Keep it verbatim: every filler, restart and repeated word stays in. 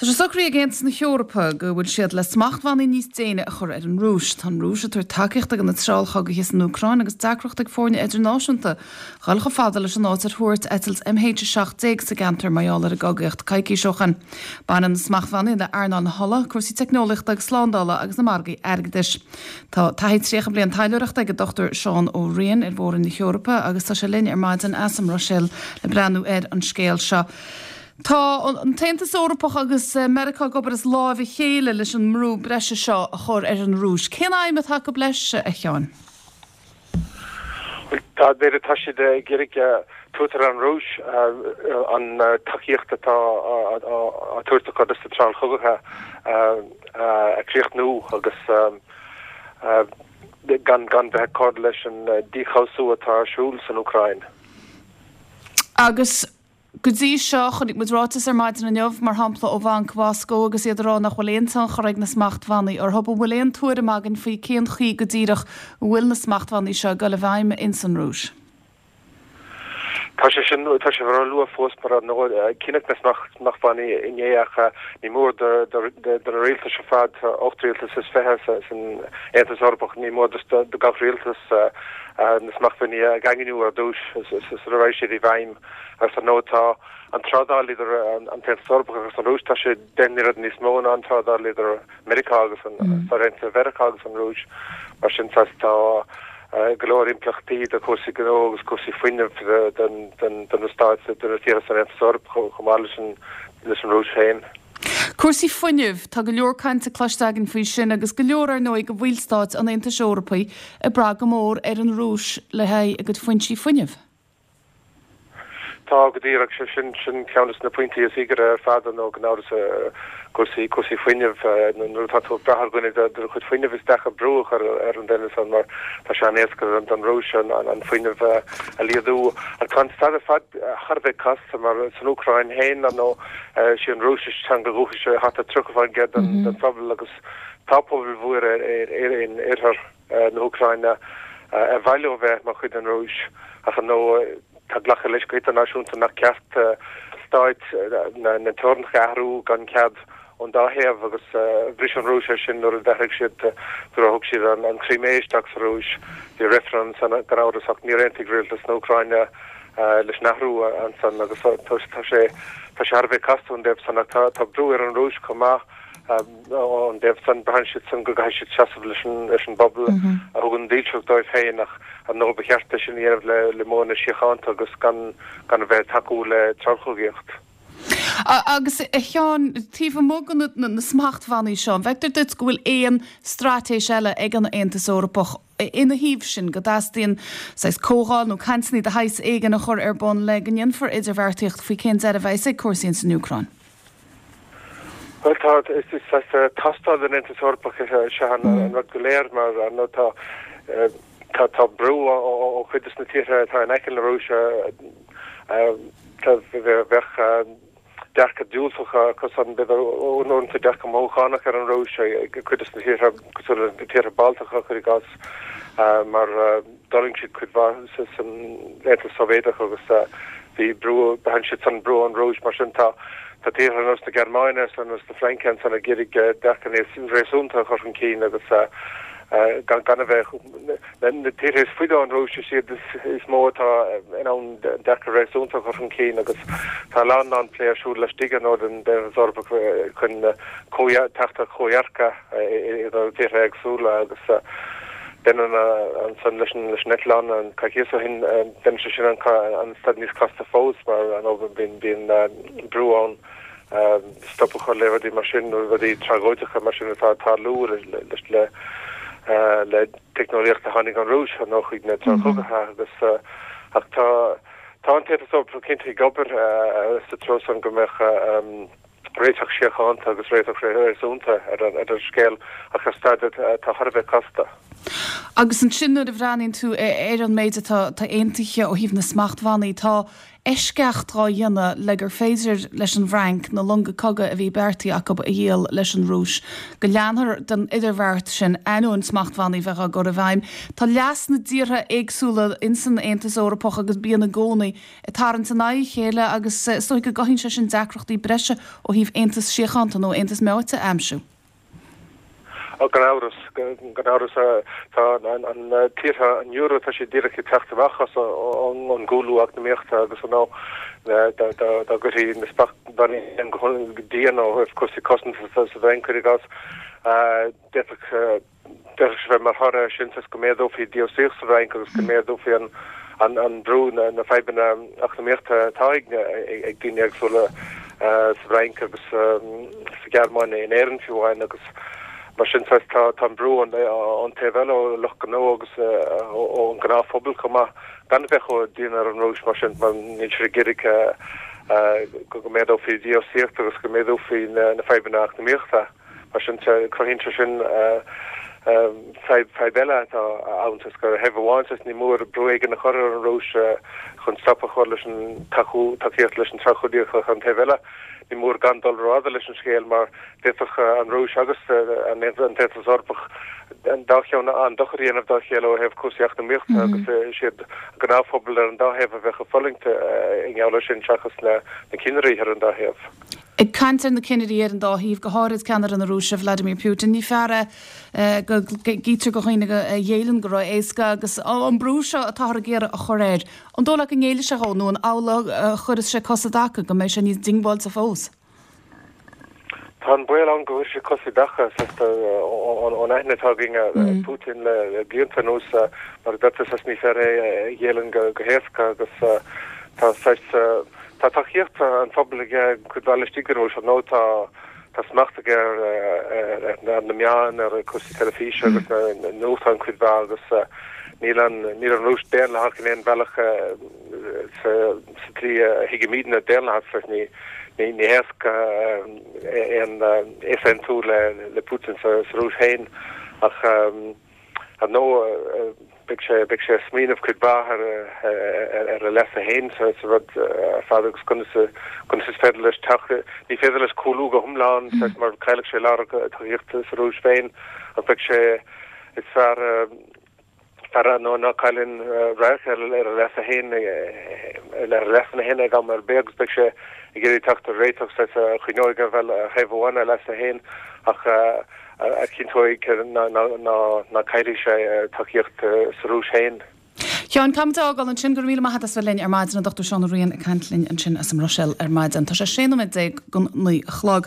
Tá sé socraithe ag Aontas na hEorpa go bhfuil siad le smachtbhannaí níos déine a chur ar an Rúis. Tá an Rúis ag tabhairt tacaíochta do na treallchogaithe san Úcráin agus deacracht ag foirne idirnáisiúnta dul chomh fada leis an áit ar thuairt eitilt M H a seacht déag sa gceantar mar gheall ar an gcogaíocht coicís ó shin. Baineann na smachtbhannaí le earnáil na hola, cúrsaí teicneolaíochta agus slándála agus na margaí airgeadais. Tá taithí tríocha bliain taidhleoireachta ag Dochtúir Seán Ó Riain ar Mhór-Roinn na hEorpa agus tá sé linn ar maidin as an mBruiséil le breathnú ar an scéal seo. Tá an tAontas Eorpach agus Meiriceá ag obair as láimh a chéile leis an mbrú breise seo a chur ar an Rúis. Cén aidhm atá acu leis, a Sheáin? Tá b'fhéidir tá siad ag iarraidh tabhairt ar an Rúis an tacaíocht atá á tabhairt acu dos na treallchogaithe a chríochnú agus gan gan bheith ag cur leis an díchobhsú atá ar siúl san Úcráin. Agus go dtí seo, chonaic muid ráiteas ar maidin inniu, mar shampla, ó Bhanc Mhoscó agus iad ag rá nach bhfuil aon tionchar ag na smachtbhannaí orthu. An bhfuil aon tuairim againn faoi cén chaoi go díreach bhfuil na smachtbhannaí seo ag dul i bhfeidhm in san Rúis? Tá sé sin tá sé róluath fós mar cinneadh na smachtbhannaí inné, ach ní mór do na rialtais ar fad, ocht rialtas is fiche san Aontas Eorpach, ní mór do gach rialtas na smachtbhannaí a dhaingniú ar dtús sula rachaidh siad i bhfeidhm. Agus ar ndóigh tá an trádáil idir an tAontas Eorpach agus an Rúis, tá sé deich n-oiread níos mó ná an trádáil idir Meiriceá agus an Stáit Mheiriceá agus an Rúis. Mar sin tá go leor impleachtaí do chúrsaí gnó agus cúrsaí fuinnimh do na stáit, do na tíortha san Aontas Eorpach chomh maith leis an leis an Rúis féin. Cúrsaí fuinnimh, tá go leor cainte cloiste againn faoi sin agus go leor ar ndóigh de bhallstáit an Aontais Eorpaigh ag brath go mór ar an Rúis le haghaidh a gcuid foinsí fuinnimh. Tá, go díreach, sé sin sin ceann de na pointí is íogaire ar fad nó gan amhras, cúrsaí cúrsaí fuinnimh. Nuair atá tú ag brath ar dhuine do do chuid fuinnimh, is deacair brú a chur ar an duine san mar tá sé an-éasca don Rúis an an fuinneamh a laghdú. Ach tá an staid ar fad thar a bheith casta mar san Úcráin féin nó sí an Rúisis teanga dhúchais thart ar tríocha faoin gcéad den den phobal agus tá pobal mhór ar in oirthear na hÚcráine ar mhaith leo bheith mar chuid den Rúis, ach nó tá glactha leis go hidirnáisiúnta nach ceart stáit na na teorainneacha a athrú gan cead ón dá thaobh, agus bhris an Rúis é sin nuair a d'athraigh siad, nuair a thug siad an an Chrimé isteach sa Rúis. Bhí reifreann ansan gan amhras, ach níor aontaigh rialtas na hÚcráine leis an athrú ansan agus tá sé tá sé thar a bheith casta ón dtaobh san. Ach tá tá brú ar an Rúis chomh maith ón dtaobh san. Braitheann siad san go gcaithfidh siad seasamh leis an leis an bpobal a thugann dílseacht dóibh féin, ach ar ndóigh ba cheart é sin a dhéanamh le le modhanna síochánta agus gan gan a bheith tacú le treallchogaíocht. Agus, a Sheáin, taobh amuigh de na na smachtbhannaí seo, an bhfeictear duit go bhfuil aon straitéis eile ag an Aontas Eorpach ina thaobh sin, go dteastaíonn saghas comhdháil nó cainteanna de shaghas éigin a chur ar bun le go ndéanfar idirbheartaíocht faoi cén deireadh a bheas ag cúrsaí san Úcráin? Well, tá is is tástáil den Aontas Eorpach seo an rud go léir mar nó tá tá tá brú ó chuid de na tíortha atá in aice na Rúise. Bheadh dearcadh diúltach acusan, b'fhéidir uaireanta dearcadh mothúchánach ar an Rúis ag cuid de na tíortha cosúil le tíortha Baltacha, cuir i gcás, mar d'fhulaing siad cuid mhaith san Aontas Sóivéadach agus bhí brú, braitheann siad san brú ón Rúis. Mar sin tá tá tíortha ar nós na Gearmáine agus ar nós na Fraince ansan ag iarraidh dearcadh níos réasúnta a chur chun cinn agus gan gan a bheith na tíortha is faide ón Rúis, is iad is mó atá in ann dearcadh réasúnta a chur chun cinn. Agus tá a lán lán plé ar siúl laistigh ar ndóigh den Aontas Eorpach chun teacht ar chomhdhearcadh idir tíortha éagsúla, agus déanann ansan leis an leis an eitleán an coicíos ó shin, déanann sé sin an an staid níos casta fós mar an bíonn bíonn brú ann stop a chur le rudaí mar sin, rudaí tragóideacha mar sin atá ag tarlú leis le le teicneolaíocht a tháinig ón Rúis nó chuig na treallchogaithe. Agus ach tá tá an tAontas Eorpach cinnte ag obair sa treo san go mbeadh réiteach síochánta agus réiteach réasúnta ar an ar an scéal, ach ar staid atá thar a bheith casta. Agus ansin nuair a bhreathnaíonn tú ar an méid atá aontaithe ó thaobh na smachtbhannaí, tá eisceacht dhá dhéanamh le gur féidir leis an bhFrainc na longa cogaidh a bhí beartaithe acu a dhíol leis an Rúis, go leanfar den idirbheart sin ainneoin smachtbhannaí bheith á gcur i bhfeidhm. Tá leas na dtíortha éagsúla insan Aontas Eorpach agus bíonn i gcónaí ag tarraingt in aghaidh a chéile agus is dóigh go gcothaíonn sé sin deacrachtaí breise ó thaobh aontas síochánta nó aontas meáite a aimsiú. Gan amhras, gan amhras tá an tíortha an euro tá sé díreach ag teacht amach as an gcúlú eacnamaíochta agus an dá gcuirfí na smachtbhannaí go dian ó thaobh cúrsaí cosanta sa bhFrainc cuir i gcás d'fhéadfadh d'fhéadfadh sé bheith mar thoradh air sin go méadófaí dífhostaíocht sa bhFrainc agus go méadófaí an an an brú na na fadhbanna eacnamaíochta atá ag ag daoine éagsúla sa bhFrainc agus sa Ghearmáin in Éirinn fiú amháin agus Mar sin tá tá an brú ón taobh eile ó lucht gnó agus ón ngnáthphobal chomh maith gan a bheith chomh dian ar an Rúis mar sin mar níl siad ag iarraidh go go méadófaí dífhostaíocht agus go méadófaí na fadhbanna eacnamaíochta. Mar sin cruthaíonn sé sin fadhb eile atá ann is gur ar thaobh amháin is ní mór brú éigin a chur ar an Rúis chun stop a chur leis an tacaíocht leis an treallchogaíocht ach an taobh eile ní mór gan dul rófhada leis an scéal mar d'fhéadfadh an Rúis agus an tAontas Eorpach an dá cheann an-dochar a dhéanamh dá chéile ó thaobh cúrsaí eacnamaíochta agus is iad an gnáthphobal ar an dá thaobh a bheadh ag fulaingt i ngeall air sin seachas na cinnirí ar an dá thaobh. Ag caint ar na cinnirí ar an dá thaobh, go háirid ceannaire na Rúise, Vladimir Putin, ní fear é go gcítear do dhaoine a ghéilleann go ró-éasca agus an brú seo atáthar ag iarraidh a chur air, an dóigh leat go ngéillfidh sé dhó nó an amhlaidh a chuirfeas sé cos i dtaca, go mbeidh sé níos diongbháilte fós? Tá an baol ann go gcuirfidh sé cos i dtaca ón aithne atá againn ar Putin le blianta anuas, mar a deir tú, ní fear é a ghéilleann go héasca agus tá saghas, tá tacaíocht an phobail aige cuid mhaith laistigh den Rúis, ar ndóigh tá tá smacht aige ar na meáin, ar chúrsaí teilifíse agus na nuachtáin cuid mhaith agus níl an níl an Rúis daonlathach in aon bhealach sa tslí a thuigimidne daonlathas, ní ní héasca aon easaontú le Putin sa Rúis féin ach ar ndóigh beidh sé beidh sé ag smaoineamh cuid mhaith ar ar a leasa féin sa rud ar fad agus conas conas is féidir leis teacht ní féidir leis cúlú go hiomlán mar caillfidh sé a lán tacaíochta sa Rúis féin ach beidh sé is fear fear nó ná cailleann radharc ar a leasa féin ar a leasanna féin ag am ar bith agus beidh sé ag iarraidh teacht ar réiteach saghas a choinneoidh ar thaobh amháin a leasa féin ach a chinnteoidh ná caillfidh sé tacaíocht sa Rúis féin. Sheáin, caithfimid é a fhágáil ansin. Go raibh míle maith agat as bheith linn ar maidin, an Dochtúir Seán Ó Riain ag caint linn ansin as an mBruiséil ar maidin. Tá sé sé nóiméad déag don naoi a chlog.